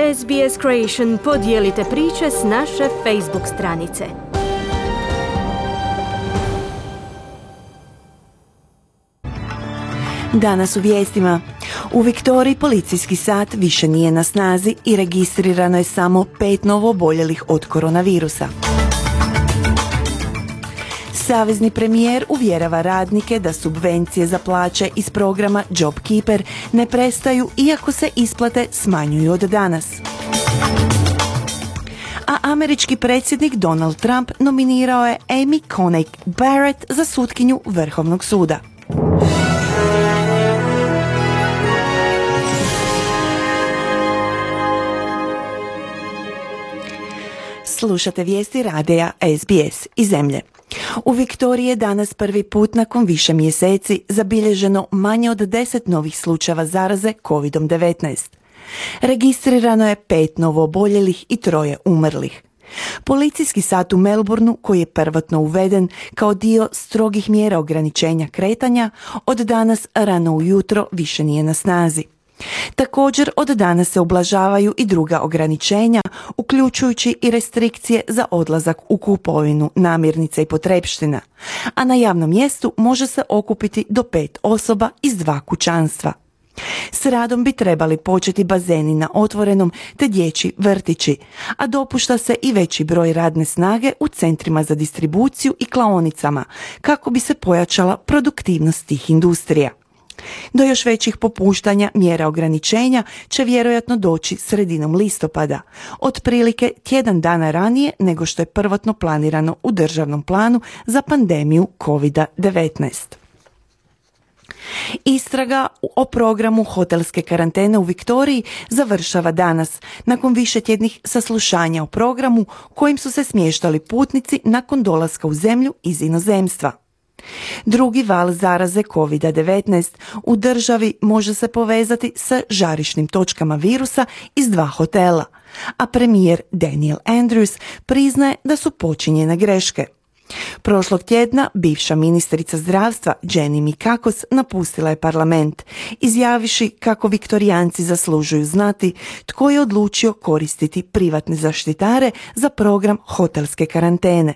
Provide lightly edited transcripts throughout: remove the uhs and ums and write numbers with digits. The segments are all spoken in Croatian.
SBS Creation podijelite priče s naše Facebook stranice. Danas u vijestima. U Viktoriji policijski sat više nije na snazi i registrirano je samo 5 novooboljelih od koronavirusa. Savezni premijer uvjerava radnike da subvencije za plaće iz programa JobKeeper ne prestaju iako se isplate smanjuju od danas. A američki predsjednik Donald Trump nominirao je Amy Coney Barrett za sutkinju Vrhovnog suda. Slušate vijesti radija SBS iz zemlje. U Viktoriji je danas prvi put nakon više mjeseci zabilježeno manje od 10 novih slučajeva zaraze COVID-19. Registrirano je 5 novooboljelih i 3 umrlih. Policijski sat u Melbourneu, koji je prvotno uveden kao dio strogih mjera ograničenja kretanja, od danas rano ujutro više nije na snazi. Također od danas se ublažavaju i druga ograničenja, uključujući i restrikcije za odlazak u kupovinu namirnica i potrepština, a na javnom mjestu može se okupiti do 5 osoba iz 2 kućanstva. S radom bi trebali početi bazeni na otvorenom te dječji vrtići, a dopušta se i veći broj radne snage u centrima za distribuciju i klaonicama, kako bi se pojačala produktivnost tih industrija. Do još većih popuštanja mjera ograničenja će vjerojatno doći sredinom listopada, otprilike tjedan dana ranije nego što je prvotno planirano u državnom planu za pandemiju COVID-19. Istraga o programu hotelske karantene u Viktoriji završava danas, nakon višetjednih saslušanja o programu kojim su se smještali putnici nakon dolaska u zemlju iz inozemstva. Drugi val zaraze COVID-19 u državi može se povezati sa žarišnim točkama virusa iz 2 hotela, a premijer Daniel Andrews priznaje da su počinjene greške. Prošlog tjedna bivša ministrica zdravstva Jenny Mikakos napustila je parlament, izjaviši kako Viktorijanci zaslužuju znati tko je odlučio koristiti privatne zaštitare za program hotelske karantene.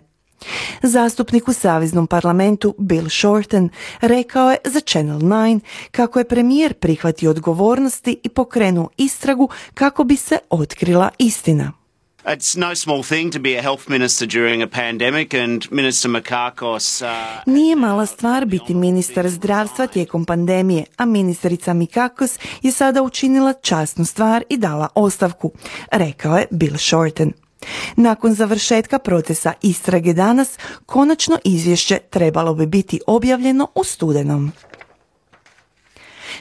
Zastupnik u Saveznom parlamentu Bill Shorten rekao je za Channel 9 kako je premijer prihvatio odgovornosti i pokrenuo istragu kako bi se otkrila istina. It's no small thing to be a health minister during a pandemic and Minister Mikakos... Nije mala stvar biti ministar zdravstva tijekom pandemije, a ministrica Mikakos je sada učinila časnu stvar i dala ostavku, rekao je Bill Shorten. Nakon završetka procesa istrage danas, konačno izvješće trebalo bi biti objavljeno u studenom.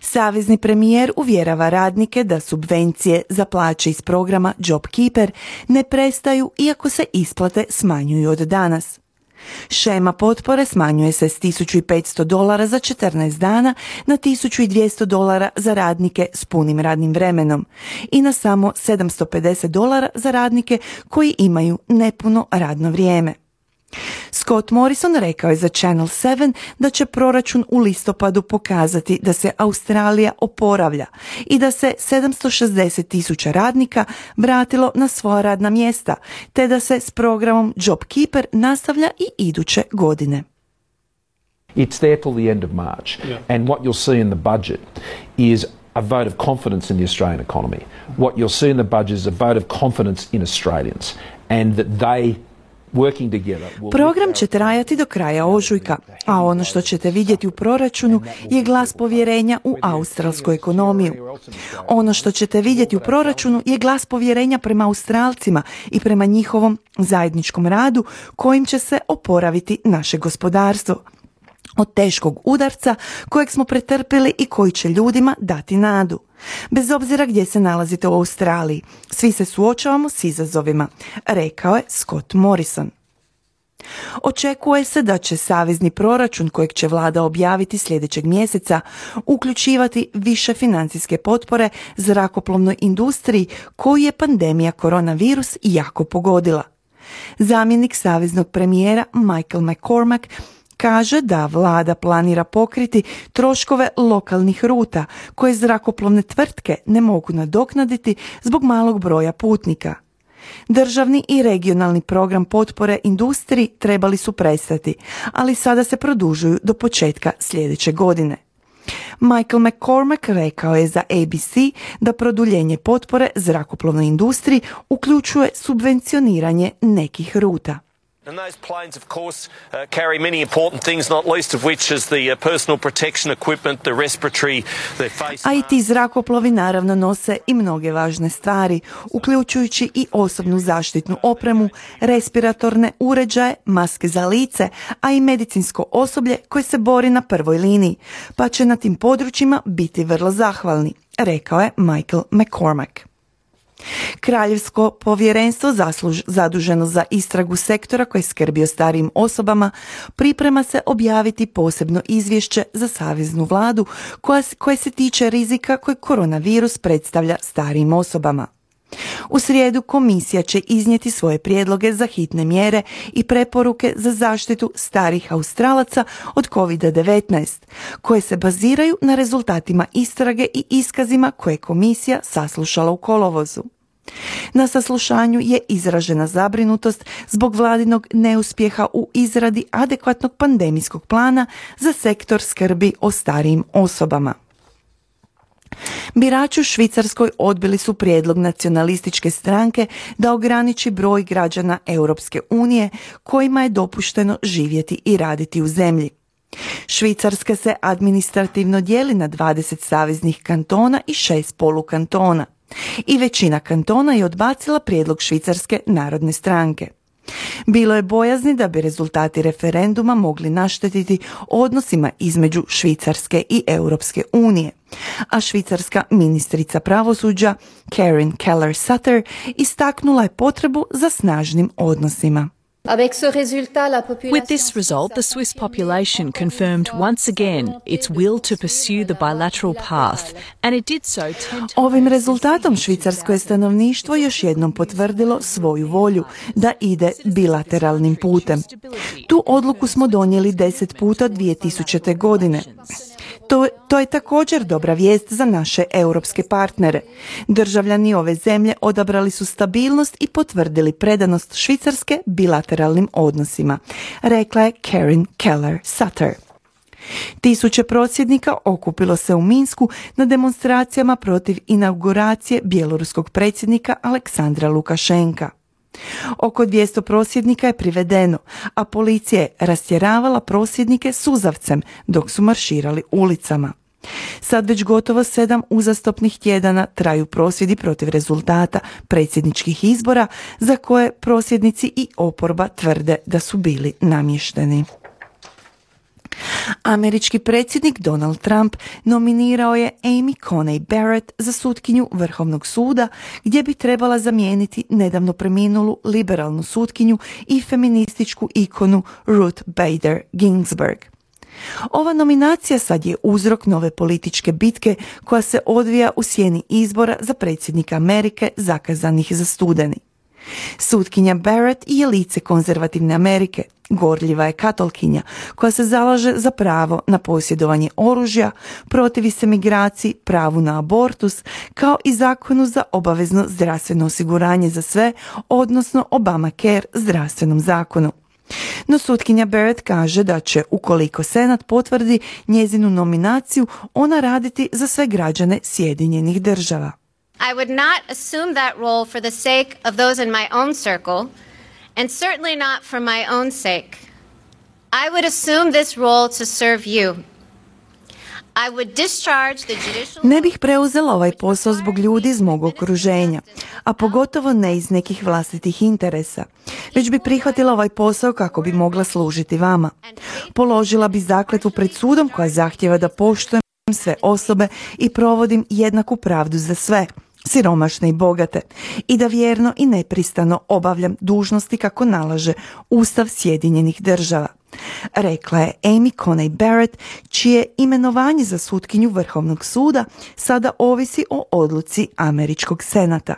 Savezni premijer uvjerava radnike da subvencije za plaće iz programa JobKeeper ne prestaju iako se isplate smanjuju od danas. Šema potpore smanjuje se s $1.500 za 14 dana na $1.200 za radnike s punim radnim vremenom i na samo $750 za radnike koji imaju nepuno radno vrijeme. Scott Morrison rekao je za Channel 7 da će proračun u listopadu pokazati da se Australija oporavlja i da se 760,000 radnika vratilo na svoja radna mjesta, te da se s programom JobKeeper nastavlja i iduće godine. It's there till the end of March. Yeah. And what you'll see in the budget is a vote of confidence in the Australian economy. What you'll see in the budget is a vote of confidence in Australians and that they Program će trajati do kraja ožujka, a ono što ćete vidjeti u proračunu je glas povjerenja u australsku ekonomiju. Ono što ćete vidjeti u proračunu je glas povjerenja prema Australcima i prema njihovom zajedničkom radu kojim će se oporaviti naše gospodarstvo od teškog udarca kojeg smo pretrpjeli i koji će ljudima dati nadu. Bez obzira gdje se nalazite u Australiji, svi se suočavamo s izazovima, rekao je Scott Morrison. Očekuje se da će savezni proračun kojeg će vlada objaviti sljedećeg mjeseca uključivati više financijske potpore zrakoplovnoj industriji koju je pandemija koronavirus jako pogodila. Zamjenik saveznog premijera Michael McCormack kaže da vlada planira pokriti troškove lokalnih ruta koje zrakoplovne tvrtke ne mogu nadoknaditi zbog malog broja putnika. Državni i regionalni program potpore industriji trebali su prestati, ali sada se produžuju do početka sljedeće godine. Michael McCormack rekao je za ABC da produljenje potpore zrakoplovnoj industriji uključuje subvencioniranje nekih ruta. And those planes, of course, carry many important things, not least of which is the personal protection equipment, the respiratory, the face. A i ti zrakoplovi naravno nose i mnoge važne stvari, uključujući i osobnu zaštitnu opremu, respiratorne uređaje, maske za lice, a i medicinsko osoblje koje se bori na prvoj liniji, pa će na tim područjima biti vrlo zahvalni, rekao je Michael McCormack. Kraljevsko povjerenstvo zaduženo za istragu sektora koji skrbi o starijim osobama priprema se objaviti posebno izvješće za saveznu vladu koje se tiče rizika koji koronavirus predstavlja starijim osobama. U srijedu komisija će iznijeti svoje prijedloge za hitne mjere i preporuke za zaštitu starih Australaca od COVID-19, koje se baziraju na rezultatima istrage i iskazima koje je komisija saslušala u kolovozu. Na saslušanju je izražena zabrinutost zbog vladinog neuspjeha u izradi adekvatnog pandemijskog plana za sektor skrbi o starijim osobama. Birači u Švicarskoj odbili su prijedlog nacionalističke stranke da ograniči broj građana Europske unije kojima je dopušteno živjeti i raditi u zemlji. Švicarska se administrativno dijeli na 20 saveznih kantona i 6 polukantona. I većina kantona je odbacila prijedlog Švicarske narodne stranke. Bilo je bojazni da bi rezultati referenduma mogli naštetiti odnosima između Švicarske i Europske unije, a švicarska ministrica pravosuđa Karin Keller-Sutter istaknula je potrebu za snažnim odnosima. With this result, the Swiss population confirmed once again its will to pursue the bilateral path, and it did so 10 times. Ovim rezultatom švicarsko je stanovništvo još jednom potvrdilo svoju volju da ide bilateralnim putem. Tu odluku smo donijeli 10 puta 2000. godine. To je također dobra vijest za naše europske partnere. Državljani ove zemlje odabrali su stabilnost i potvrdili predanost Švicarske bilateralnim odnosima, rekla je Karin Keller-Sutter. Tisuće prosvjednika okupilo se u Minsku na demonstracijama protiv inauguracije bjeloruskog predsjednika Aleksandra Lukašenka. Oko 200 prosvjednika je privedeno, a policija je rastjeravala prosvjednike suzavcem dok su marširali ulicama. Sad već gotovo 7 uzastopnih tjedana traju prosvjedi protiv rezultata predsjedničkih izbora za koje prosvjednici i oporba tvrde da su bili namješteni. Američki predsjednik Donald Trump nominirao je Amy Coney Barrett za sutkinju Vrhovnog suda, gdje bi trebala zamijeniti nedavno preminulu liberalnu sutkinju i feminističku ikonu Ruth Bader Ginsburg. Ova nominacija sad je uzrok nove političke bitke koja se odvija u sjeni izbora za predsjednika Amerike zakazanih za studeni. Sutkinja Barrett je lice konzervativne Amerike, gorljiva je katolkinja koja se zalaže za pravo na posjedovanje oružja, protivi se migraciji, pravu na abortus, kao i zakonu za obavezno zdravstveno osiguranje za sve, odnosno Obamacare zdravstvenom zakonu. No sutkinja Barrett kaže da će, ukoliko Senat potvrdi njezinu nominaciju, ona raditi za sve građane Sjedinjenih Država. I would not assume that role for the sake of those in my own circle, and certainly not for my own sake. I would assume this role to serve you. I would discharge the judicial... Ne bih preuzela ovaj posao zbog ljudi iz mog okruženja, a pogotovo ne iz nekih vlastitih interesa, već bi prihvatila ovaj posao kako bi mogla služiti vama. Položila bi zakletvu pred sudom koja zahtijeva da poštujem sve osobe i provodim jednaku pravdu za sve, siromašne i bogate, i da vjerno i nepristrano obavljam dužnosti kako nalaže Ustav Sjedinjenih Država, rekla je Amy Coney Barrett, čije imenovanje za sutkinju Vrhovnog suda sada ovisi o odluci Američkog senata.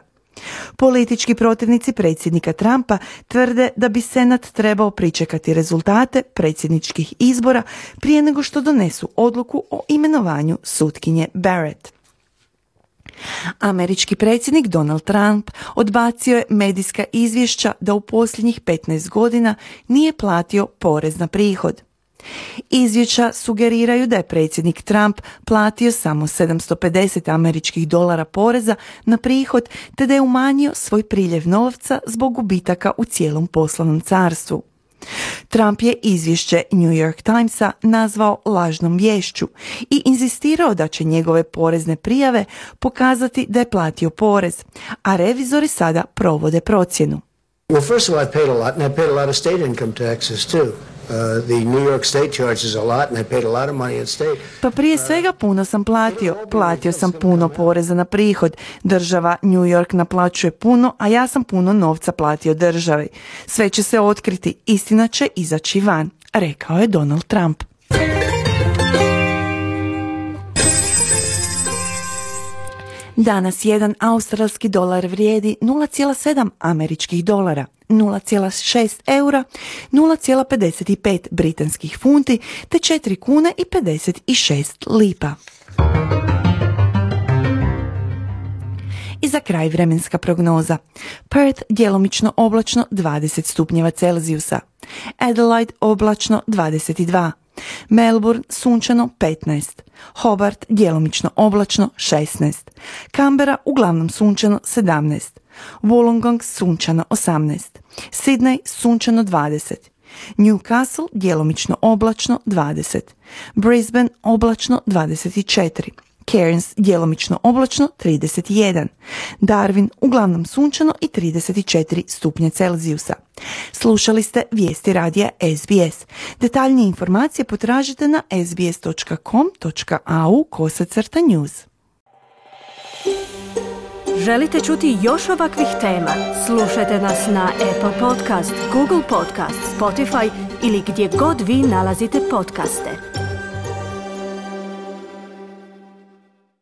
Politički protivnici predsjednika Trumpa tvrde da bi Senat trebao pričekati rezultate predsjedničkih izbora prije nego što donesu odluku o imenovanju sutkinje Barrett. Američki predsjednik Donald Trump odbacio je medijska izvješća da u posljednjih 15 godina nije platio porez na prihod. Izvješća sugeriraju da je predsjednik Trump platio samo $750 poreza na prihod, te da je umanjio svoj priljev novca zbog gubitaka u cijelom poslovnom carstvu. Trump je izvješće New York Timesa nazvao lažnom viješću i inzistirao da će njegove porezne prijave pokazati da je platio porez, a revizori sada provode procjenu. Well, first of all, I paid a lot, and I paid a lot of state income taxes too. The New York state charges a lot, and I paid a lot of money in state. Pa prije svega puno sam platio sam puno poreza na prihod. Država New York naplaćuje puno, a ja sam puno novca platio državi. Sve će se otkriti, istina će izaći van, rekao je Donald Trump. Danas jedan australski dolar vrijedi 0,7 američkih dolara, 0,6 eura, 0,55 britanskih funti te 4 kune i 56 lipa. I za kraj vremenska prognoza. Perth djelomično oblačno 20 stupnjeva Celzijusa, Adelaide oblačno 22, Melbourne sunčano 15, Hobart djelomično oblačno 16, Canberra uglavnom sunčano 17, Wollongong sunčano 18, Sydney sunčano 20, Newcastle djelomično oblačno 20, Brisbane oblačno 24, Cairns djelomično oblačno 31, Darwin uglavnom sunčano i 34 stupnje Celzijusa. Slušali ste vijesti radija SBS. Detaljnije informacije potražite na sbs.com.au/news. Želite čuti još ovakvih tema? Slušajte nas na Apple Podcast, Google Podcast, Spotify ili gdje god vi nalazite podcaste.